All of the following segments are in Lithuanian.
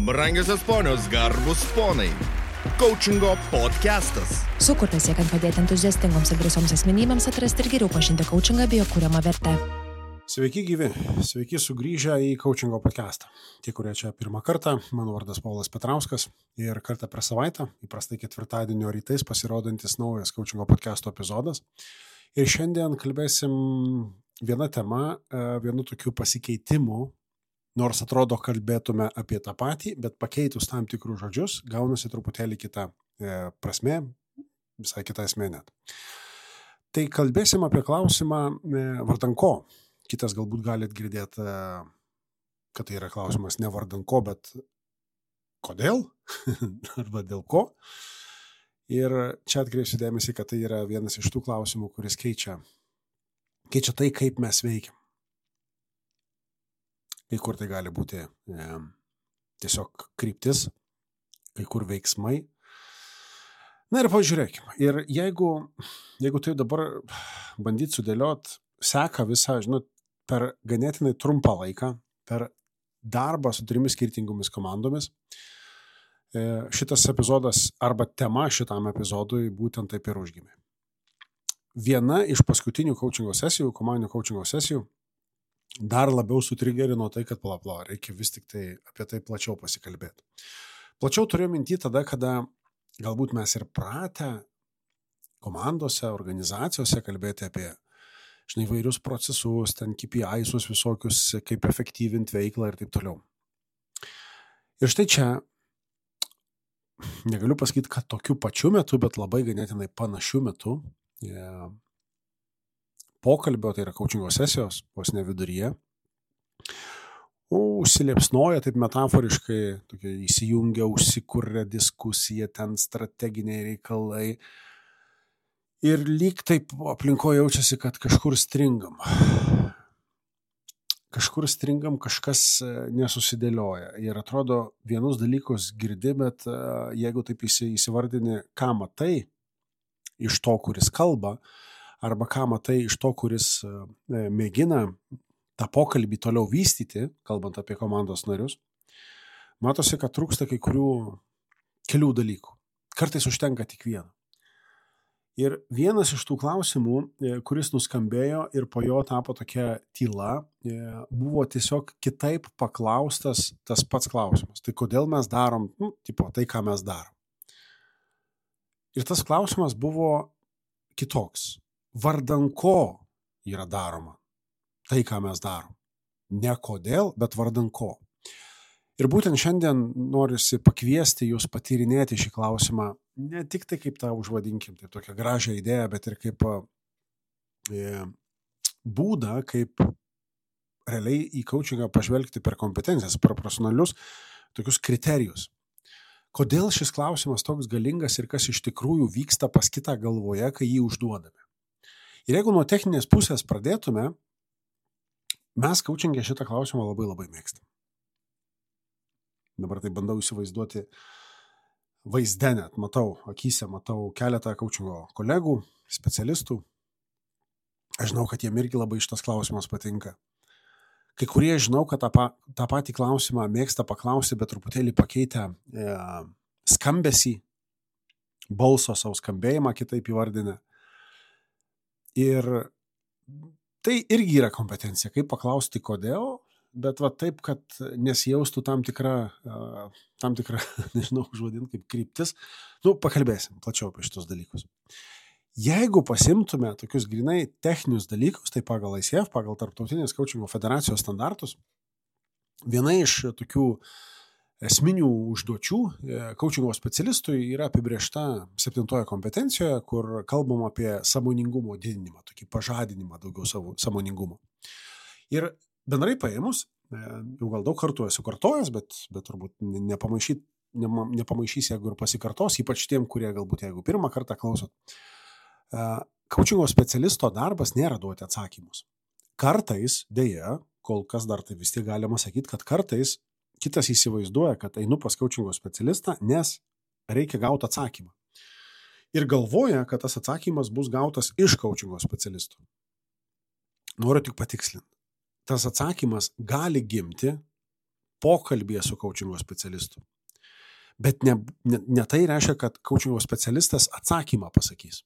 Brangiosios ponios, garbus ponai. Coachingo podcastas. Sukurtas siekiant padėti entuziastingoms ir drąsioms asmenybėms atrasti ir geriau pažinti coachingą bei jo kuriamą vertę. Sveiki gyvi, sveiki sugrįžę į Coachingo podcastą. Tie, kurie čia pirmą kartą, mano vardas Paulas Petrauskas ir kartą per savaitę, įprastai ketvirtadienio rytais pasirodantis naujas Coachingo podcasto epizodas. Ir šiandien kalbėsim vieną temą, vienu tokiu pasikeitimu, nors atrodo kalbėtume apie tą patį, bet pakeitus tam tikrus žodžius, gaunasi truputėlį kita prasmė, visai kita esmė net. Tai kalbėsim apie klausimą vardan ko. Kitas galbūt galit girdėti, kad tai yra klausimas ne vardan ko, bet kodėl arba dėl ko. Ir čia atkreipsiu dėmesį, kad tai yra vienas iš tų klausimų, kuris keičia tai, kaip mes veikiam. Kai kur tai gali būti tiesiog kryptis, kai kur veiksmai. Na ir pažiūrėkime. Ir jeigu tai dabar bandyt sudėliot, seka visą, per ganėtinai trumpą laiką, per darbą su 3 skirtingomis komandomis, šitas epizodas arba tema šitam epizodui būtent taip ir užgimė. Viena iš paskutinių coachingo sesijų, komandinių coachingo sesijų, dar labiau sutrigerino tai, kad reikia vis tik tai apie tai plačiau pasikalbėti. Plačiau turiu minty tada, kada galbūt mes ir pratę komandose, organizacijose kalbėti apie įvairius procesus, ten KPI'sus visokius, kaip efektyvinti veiklą ir taip toliau. Ir štai čia negaliu pasakyti, kad tokiu pačiu metu, bet labai ganėtinai panašiu metu pokalbio, tai yra coachingo sesijos, vos ne viduryje, užsiliepsnoja taip metaforiškai, tokia įsijungia, užsikuria diskusija, ten strateginiai reikalai ir lyg taip aplinkoje jaučiasi, kad kažkur stringam. Kažkas nesusidėlioja ir atrodo vienus dalykus girdi, bet jeigu taip įsivardini, ką matai iš to, kuris kalba, arba ką matai iš to, kuris mėgina tą pokalbį toliau vystyti, kalbant apie komandos narius, matosi, kad trūksta kelių dalykų. Kartais užtenka tik vieno. Ir vienas iš tų klausimų, kuris nuskambėjo ir po jo tapo tokia tyla, buvo tiesiog kitaip paklaustas tas pats klausimas. Tai kodėl mes darom, tai ką mes darom. Ir tas klausimas buvo kitoks. Vardan ko yra daroma tai, ką mes darom. Ne kodėl, bet vardan ko. Ir būtent šiandien norisi pakviesti jūs patyrinėti šį klausimą, ne tik tai kaip tą užvadinkim, tai tokią gražią idėją, bet ir kaip būdą, kaip realiai į coachingą pažvelgti per kompetencijas, per profesionalius tokius kriterijus. Kodėl šis klausimas toks galingas ir kas iš tikrųjų vyksta pas kitą galvoje, kai jį užduodame. Ir jeigu nuo techninės pusės pradėtume, mes coachingė šitą klausimą labai labai mėgstam. Dabar tai bandau įsivaizduoti vaizde net, matau keletą coachingo kolegų, specialistų. Aš žinau, kad jiem irgi labai šitas klausimas patinka. Kai kurie žinau, kad tą patį klausimą mėgsta paklausti, bet truputėlį pakeitę skambesį, balso savo skambėjimą kitaip įvardinę. Ir tai irgi yra kompetencija, kaip paklausti kodėl, bet taip, kad nesijaustų tam tikra, nežinau, užvadinti kaip kryptis. Pakalbėsim plačiau apie šitos dalykus. Jeigu pasimtume tokius grinai techninius dalykus, tai pagal ICF, pagal Tarptautinės coachingo federacijos standartus, viena iš tokių esminių užduočių coachingo specialistui yra apibrėžta 7 kompetencijoje, kur kalbam apie sąmoningumo didinimą, tokį pažadinimą daugiau sąmoningumo. Ir bendrai paėmus, jau gal daug kartų esu kartojęs, bet turbūt nepamaišys, jeigu ir pasikartos, ypač tiem, kurie galbūt jeigu pirmą kartą klausot. Coachingo specialisto darbas nėra duoti atsakymus. Kartais, dėja, kol kas dar tai vis tiek galima sakyti, kad kartais kitas įsivaizduoja, kad einu pas coachingo specialistą, nes reikia gauti atsakymą. Ir galvoja, kad tas atsakymas bus gautas iš coachingo specialisto. Noriu tik patikslinti. Tas atsakymas gali gimti pokalbėje su coachingo specialistu. Bet ne tai reiškia, kad coachingo specialistas atsakymą pasakys.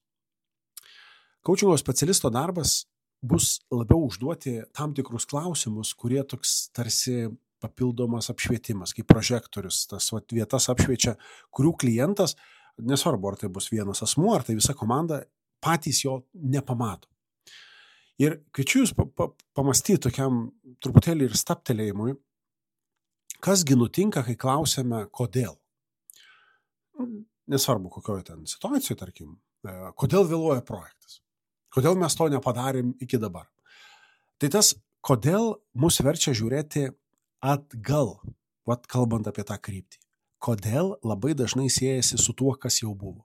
Coachingo specialisto darbas bus labiau užduoti tam tikrus klausimus, kurie toks tarsi papildomas apšvietimas, kaip prožektorius, tas vietas apšviečia, kurių klientas, nesvarbu, ar tai bus vienas asmuo, ar tai visa komanda, patys jo nepamato. Ir kviečiu jūs pamastyti tokiam truputėlį ir staptelėjimui, kasgi nutinka, kai klausėme, kodėl. Nesvarbu, kokioje ten situacijoje, tarkim, kodėl vėluoja projektas, kodėl mes to nepadarėm iki dabar. Tai tas, kodėl mus verčia žiūrėti atgal, kalbant apie tą kryptį. Kodėl labai dažnai siejasi su tuo, kas jau buvo.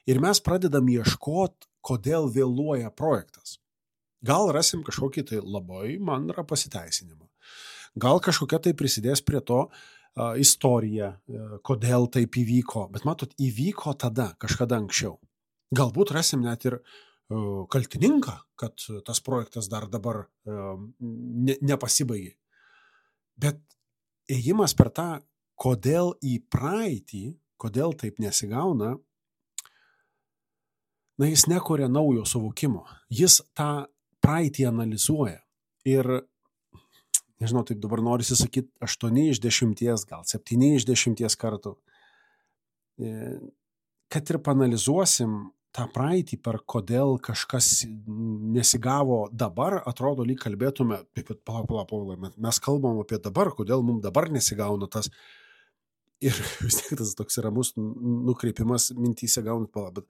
Ir mes pradedam ieškoti, kodėl vėluoja projektas. Gal rasim kažkokį tai labai mandrą pasiteisinimą. Gal kažkokia tai prisidės prie to istorija, kodėl taip įvyko. Bet matot, įvyko tada, kažkada anksčiau. Galbūt rasim net ir kaltininką, kad tas projektas dar dabar nepasibaigė. Bet ėjimas per tą, kodėl į praeitį, kodėl taip nesigauna, jis nekuria naujo suvokimo. Jis tą praeitį analizuoja. Ir, nežinau, taip dabar norisi sakyti 8 iš 10, gal 7 iš 10 kartų. Kad ir panalizuosim tą praeitį, per kodėl kažkas nesigavo dabar, atrodo, lyg kalbėtume, mes kalbam apie dabar, kodėl mums dabar nesigauna tas. Ir vis tiek tas toks ramus nukreipimas mintyse gaunat palą. Bet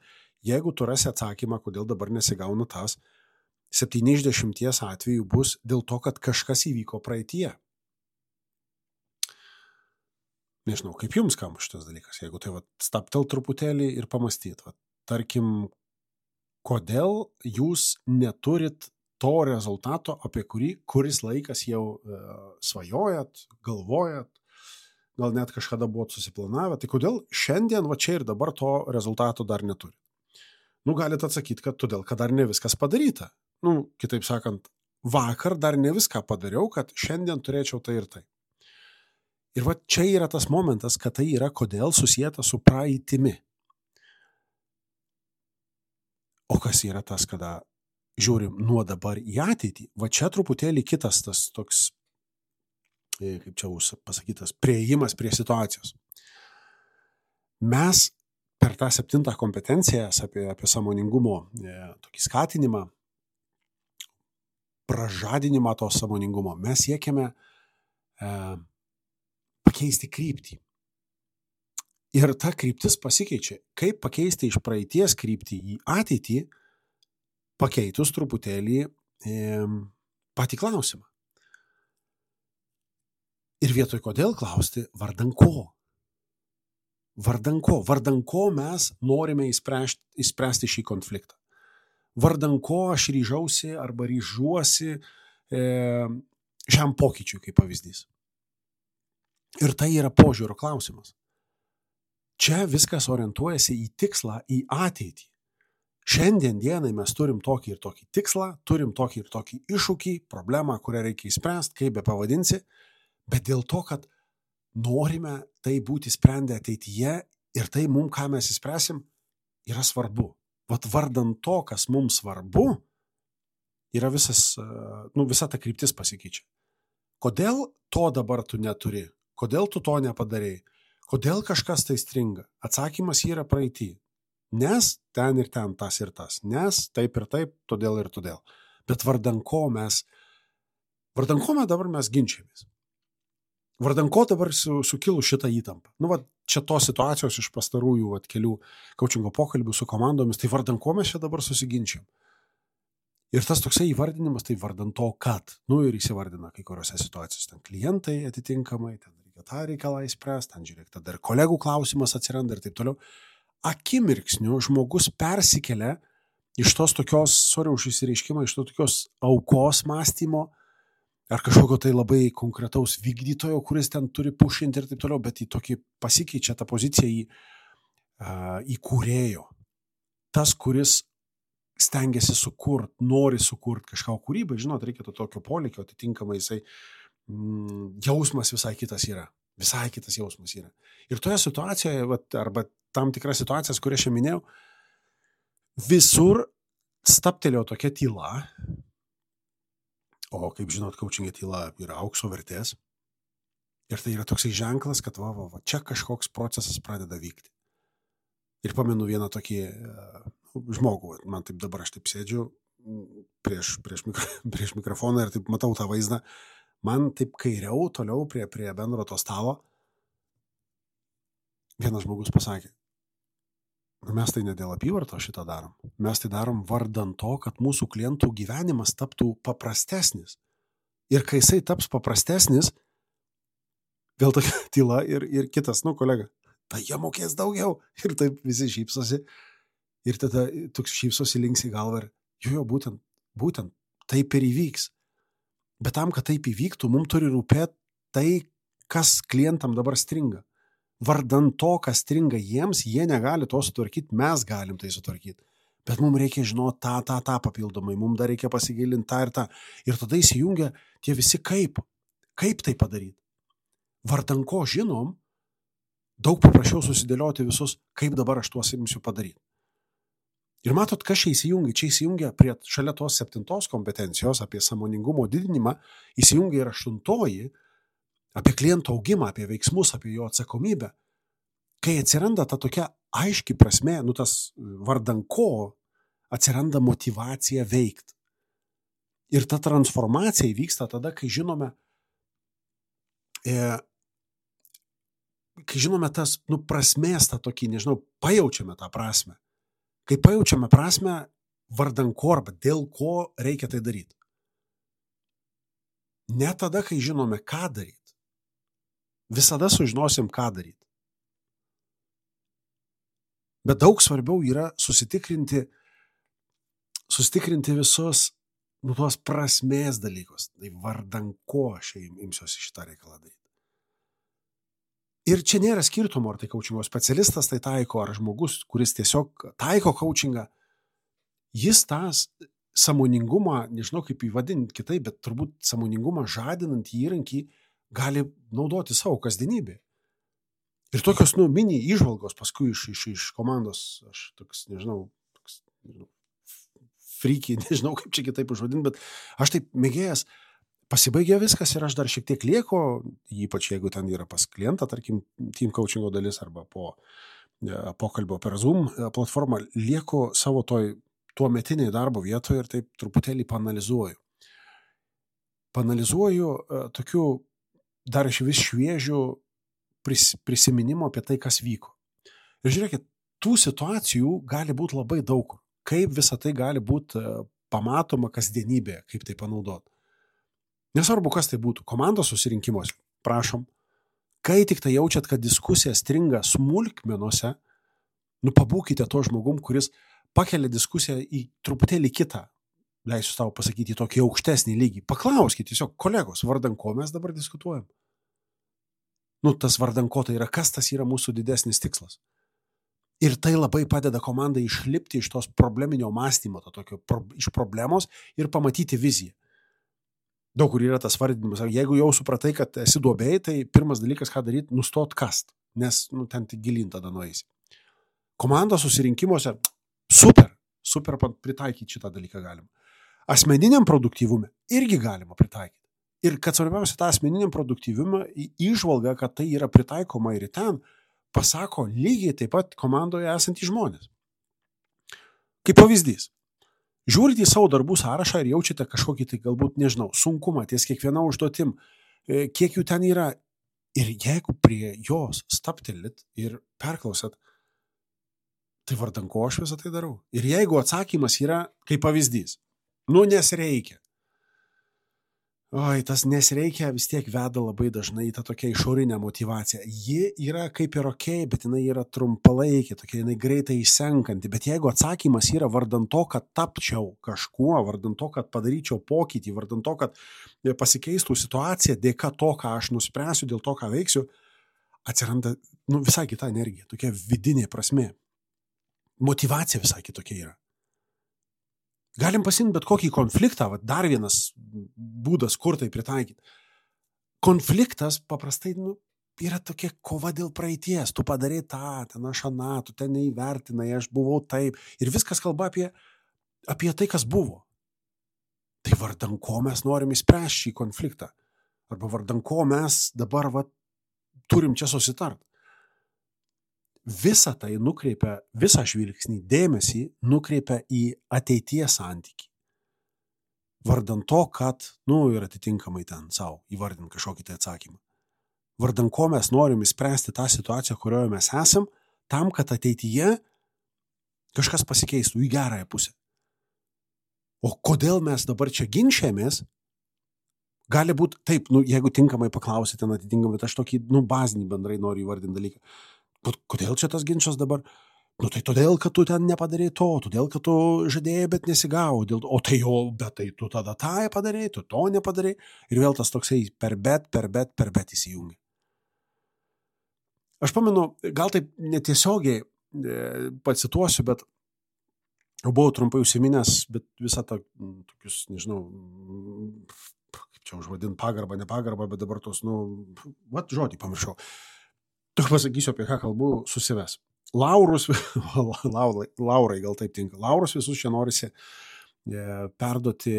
jeigu tu rasi atsakymą, kodėl dabar nesigauna tas, 7 iš 10 atvejų bus dėl to, kad kažkas įvyko praeityje. Nežinau, kaip jums skamba šitas dalykas, jeigu tai staptel truputėlį ir pamastyt. Tarkim, kodėl jūs neturit to rezultato, apie kurį kuris laikas jau svajojat, galvojat, gal net kažkada buvot susiplanavę, tai kodėl šiandien, čia ir dabar to rezultato dar neturi? Galite atsakyti, kad todėl, kad dar ne viskas padaryta. Kitaip sakant, vakar dar ne viską padariau, kad šiandien turėčiau tai ir tai. Ir čia yra tas momentas, kad tai yra kodėl susijęta su praeitimi. O kas yra tas, kada žiūrim nuo dabar į ateitį? Čia truputėlį kitas tas toks, kaip čia pasakytas, priėjimas prie situacijos. Mes per tą 7 kompetenciją apie sąmoningumo tokį skatinimą, pražadinimą to sąmoningumo, mes siekiame pakeisti kryptį. Ir ta kryptis pasikeičia. Kaip pakeisti iš praeities kryptį į ateitį, pakeitus truputėlį patį klausimą. Ir vietoj kodėl klausti, vardan ko? Vardan ko? Vardan ko mes norime įspręsti šį konfliktą? Vardan ko aš ryžausi arba ryžuosi šiam pokyčiui, kaip pavyzdys. Ir tai yra požiūrio klausimas. Čia viskas orientuojasi į tikslą, į ateitį. Šiandien dienai mes turim tokį ir tokį tikslą, turim tokį ir tokį iššūkį, problemą, kurią reikia įspręsti, kaip be pavadinsi, bet dėl to, kad norime tai būti sprendę ateityje ir tai mums, ką mes įspręsim, yra svarbu. Vardan to, kas mums svarbu, yra visa ta kryptis pasikeičia. Kodėl to dabar tu neturi? Kodėl tu to nepadarei? Kodėl kažkas tai stringa? Atsakymas yra praeity. Nes ten ir ten, tas ir tas. Nes taip ir taip, todėl ir todėl. Bet vardan ko dabar mes ginčiamės? Vardan ko dabar sukilų šitą įtampą? Čia tos situacijos iš pastarųjų kelių coachingo pokalbių su komandomis, tai vardan ko mes čia dabar susiginčiam? Ir tas toksai įvardinimas, tai vardan to, kad, ir įsivardina kai kuriuose situacijose, ten klientai atitinkamai, ten reikia tą reikalą įspręsti, ten žiūrėk, tada ir kolegų klausimas atsiranda ir taip toliau. Akimirksniu žmogus persikelia iš tos tokios, už įsireiškimą, iš to tokios aukos mąstymo, ar kažkokio tai labai konkretaus vykdytojo, kuris ten turi pušinti ir taip toliau, bet į tokį pasikeičia tą poziciją į kūrėjo. Tas, kuris stengiasi nori sukurti kažką kūrybą, žinot, reikia to tokio polėkio, atitinkamai jisai jausmas visai kitas yra. Visai kitas jausmas yra. Ir toje situacijoje, arba tam tikras situacijas, kurias aš minėjau, visur staptelėjo tokia tyla, o kaip žinot, coachingė tyla yra aukso vertės. Ir tai yra toksai ženklas, kad čia kažkoks procesas pradeda vykti. Ir pamenu vieną tokį žmogų, man taip dabar aš taip sėdžiu prieš mikrofoną ir taip matau tą vaizdą, man taip kairiau, toliau prie bendro to stalo, vienas žmogus pasakė, mes tai ne dėl apyvarto šitą darom, mes tai darom vardan to, kad mūsų klientų gyvenimas taptų paprastesnis. Ir kai jisai taps paprastesnis, vėl tokia tyla ir kitas, kolega, tai jie mokės daugiau. Ir taip visi šypsosi. Ir tada toks šypsosi linksi galvą ir būtent taip ir įvyks. Bet tam, kad taip įvyktų, mums turi rūpėti tai, kas klientam dabar stringa. Vardan to, kas stringa jiems, jie negali to sutvarkyti, mes galim tai sutvarkyti. Bet mums reikia žinoti tą papildomai, mums dar reikia pasigilinti tą ir tą. Ir tada įsijungia tie visi kaip tai padaryti. Vardan ko žinom, daug paprasčiau susidėlioti visus, kaip dabar aš tuos imsiu padaryti. Ir matot, kas čia įsijungia? Čia įsijungia šalia tos 7 kompetencijos apie sąmoningumo didinimą, įsijungia ir 8 apie kliento augimą, apie veiksmus, apie jo atsakomybę. Kai atsiranda ta tokia aiški prasme, tas vardan ko atsiranda motyvacija veikti. Ir ta transformacija įvyksta tada, kai žinome tas, prasmės tą tokį, pajaučiame tą prasmę. Kai pajaučiame prasmę vardan ko arba dėl ko reikia tai daryti. Ne tada, kai žinome, ką daryti. Visada sužinosim, ką daryti. Bet daug svarbiau yra susitikrinti visus tuos prasmės dalykus. Tai vardan ko aš imsiuosi šitą reikalą daryti. Ir čia nėra skirtumo, ar tai coachingo specialistas tai taiko, ar žmogus, kuris tiesiog taiko coachingą. Jis tas sąmoningumą, nežinau kaip įvadinti kitaip, bet turbūt sąmoningumą žadinant įrankį gali naudoti savo kasdienybėje. Ir tokios, mini įžvalgos paskui iš komandos, aš toks, freaky, nežinau kaip čia kitaip užvadinti, bet aš taip mėgėjęs, pasibaigė viskas ir aš dar šiek tiek lieku, ypač jeigu ten yra pas klientą, tarkim, team coachingo dalis arba po pokalbio per Zoom platformą, lieku savo tuo metiniai darbo vietoje ir taip truputėlį panalizuoju. Panalizuoju tokių dar iš vis šviežių prisiminimo apie tai, kas vyko. Ir žiūrėkit, tų situacijų gali būti labai daug. Kaip visa tai gali būti pamatoma kasdienybėje, kaip tai panaudoti. Nesvarbu, kas tai būtų. Komandos susirinkimuose, prašom, kai tik tai jaučiat, kad diskusija stringa smulkmenuose, pabūkite to žmogum, kuris pakelia diskusiją į truputėlį kitą, leisiu tau pasakyti, į tokį aukštesnį lygį. Paklauskite tiesiog, kolegos, vardan ko mes dabar diskutuojam? Tas vardan ko tai yra, kas tas yra mūsų didesnis tikslas. Ir tai labai padeda komandai išlipti iš tos probleminio mąstymo, iš problemos ir pamatyti viziją. Daug kur yra tas vardinimas. Jeigu jau supratai, kad esi duobėjai, tai pirmas dalykas, ką daryti, nustot kast, nes ten tik gilin tada nueisi. Komandos susirinkimuose super pritaikyti šitą dalyką galima. Asmeniniam produktyvume irgi galima pritaikyti. Ir kad svarbiausia, tą asmeniniam produktyvumą įžvalga, kad tai yra pritaikoma ir ten, pasako lygiai taip pat komandoje esantys žmonės. Kaip pavyzdys. Žiūrite į savo darbų sąrašą ir jaučiate kažkokį tai galbūt, sunkumą ties kiekviena užduotim, kiek jų ten yra. Ir jeigu prie jos staptelit ir perklausat, tai vardan ko aš visą tai darau. Ir jeigu atsakymas yra kaip pavyzdys, nes reikia. Tas nesreikia vis tiek veda labai dažnai į tą tokią išorinę motivaciją. Ji yra kaip ir okei, bet jinai yra trumpalaikė, tokia jinai greitai išsenkanti. Bet jeigu atsakymas yra vardan to, kad tapčiau kažkuo, vardan to, kad padaryčiau pokytį, vardan to, kad pasikeistų situacija dėka to, ką aš nuspręsiu, dėl to, ką veiksiu, atsiranda visai kita energija, tokia vidinė prasmė. Motivacija visai kitokia yra. Galim pasimti bet kokį konfliktą, dar vienas būdas, kur tai pritaikyti. konfliktas paprastai, yra tokia kova dėl praeities. Tu padarai tą, ten aš aną, tu ten neįvertinai, aš buvau taip. Ir viskas kalba apie tai, kas buvo. Tai vardan ko mes norim įspręsti šį konfliktą? Arba vardan ko mes dabar turim čia susitart? Visą tai nukreipia, visą žvilgsnį, dėmesį nukreipia į ateities santykį. Vardan to, kad, ir atitinkamai ten savo įvardint kažkokį tai atsakymą. Vardan ko mes norim įspręsti tą situaciją, kurioje mes esam, tam, kad ateityje kažkas pasikeistų į gerąją pusę. O kodėl mes dabar čia ginčiamės? Gali būti taip, jeigu tinkamai paklausite, atitinkamai, aš tokį, bazinį bendrai noriu įvardinti dalyką. Kodėl čia tas ginčas dabar? Tai todėl, kad tu ten nepadarei to, todėl, kad tu žadėjai, bet nesigavo. Bet tai tu tada tą padarei, tu to nepadarei. Ir vėl tas toksai per bet įsijungia. Aš pamenu, gal taip netiesiogiai pacituosiu, bet buvau trumpai užsiminęs, bet visą tą, tokius, nežinau, kaip čia užvadint, pagarbą, nepagarbą, bet dabar tos, žodį pamiršau. Tik pasakysiu, apie ką kalbu, susives. Laurai gal taip tinka. Laurus visus čia norisi perduoti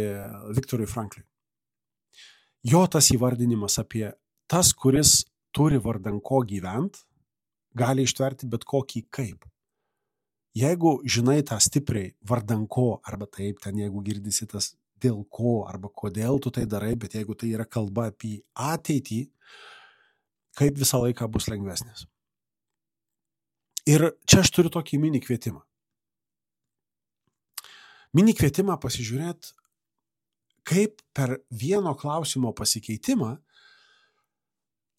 Viktorui Franklui. Jo tas įvardinimas apie tas, kuris turi vardan ko gyvent, gali ištverti bet kokį kaip. Jeigu žinai tą stipriai vardan ko, arba taip, ten jeigu girdisi tas dėl ko, arba kodėl tu tai darai, bet jeigu tai yra kalba apie ateitį, kaip visą laiką bus lengvesnis. Ir čia aš turiu tokį mini kvietimą. Mini kvietimą pasižiūrėti, kaip per vieno klausimo pasikeitimą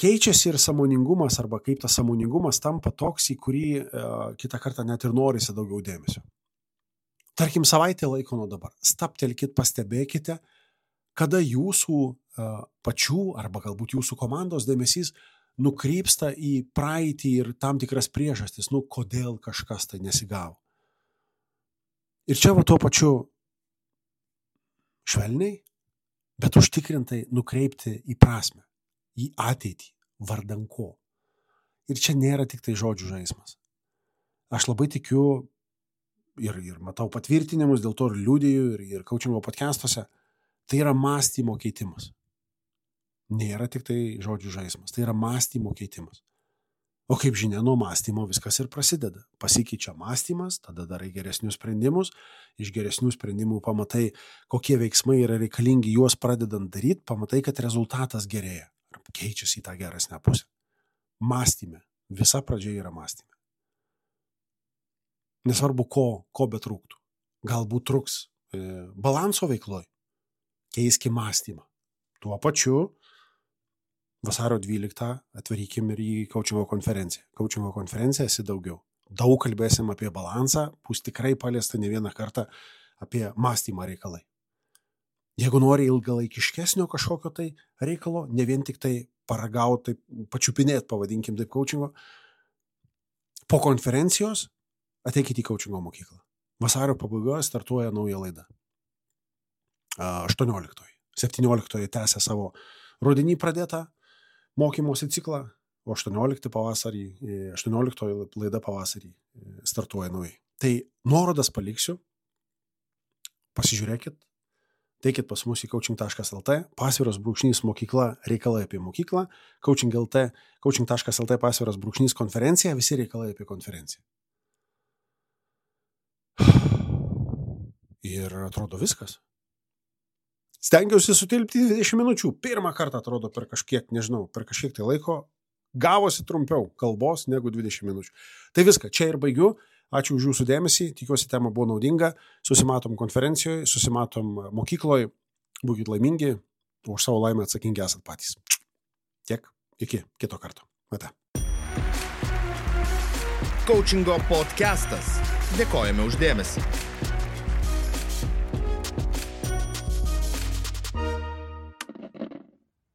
keičiasi ir sąmoningumas, arba kaip tas sąmoningumas tampa toks, į kurį kitą kartą net ir norisi daugiau dėmesio. Tarkim, savaitę laiko nuo dabar. Staptelkit, pastebėkite, kada jūsų pačių arba galbūt jūsų komandos dėmesys nukrypsta į praeitį ir tam tikras priežastis, kodėl kažkas tai nesigavo. Ir čia tuo pačiu švelniai, bet užtikrintai nukreipti į prasmę, į ateitį, vardan ko. Ir čia nėra tik tai žodžių žaismas. Aš labai tikiu ir matau patvirtinimus, dėl to ir liudiju, ir coachingo podcastuose, tai yra mąstymo keitimas. Nėra tik tai žodžių žaismas, tai yra mąstymo keitimas. O kaip žinia, nuo mąstymo viskas ir prasideda. Pasikeičia mąstymas, tada darai geresnius sprendimus, iš geresnių sprendimų pamatai, kokie veiksmai yra reikalingi, juos pradedant daryti, pamatai, kad rezultatas gerėja, keičiasi į tą geresnę pusę. Mąstyme, visa pradžia yra mąstyme. Nesvarbu, ko betrūktų. Galbūt trūks balanso veikloj, keiski mąstymą. Tuo pačiu vasario 12 atvarykim ir į coachingo konferenciją. Coachingo konferencija esi daugiau. Daug kalbėsim apie balansą, bus tikrai paliesta ne vieną kartą apie mąstymą reikalai. Jeigu nori ilgalaikiškesnio kažkokio tai reikalo, ne vien tik tai paragauti, pačiupinėti, pavadinkim taip coachingo, po konferencijos ateikite į coachingo mokyklą. Vasario pabaigoje startuoja nauja laida. 18. 17 tęsia savo rudenį pradėtą mokymosi ciklą, o 18 laida pavasarį startuoja naujai. Tai nuorodas paliksiu, pasižiūrėkit, teikit pas mus į coaching.lt, _mokykla, reikalai apie mokyklą, coaching.lt _konferencija, visi reikalai apie konferenciją. Ir atrodo viskas. Stengiausi sutilpti 20 minučių. Pirmą kartą atrodo per kažkiek tai laiko gavosi trumpiau kalbos negu 20 minučių. Tai viską, čia ir baigiu. Ačiū už jūsų dėmesį. Tikiuosi, tema buvo naudinga. Susimatom konferencijoje, susimatom mokykloje. Būkit laimingi, už savo laimę atsakingi esat patys. Tiek, iki kito karto. Ate. Coachingo podcastas. Dėkojame už dėmesį.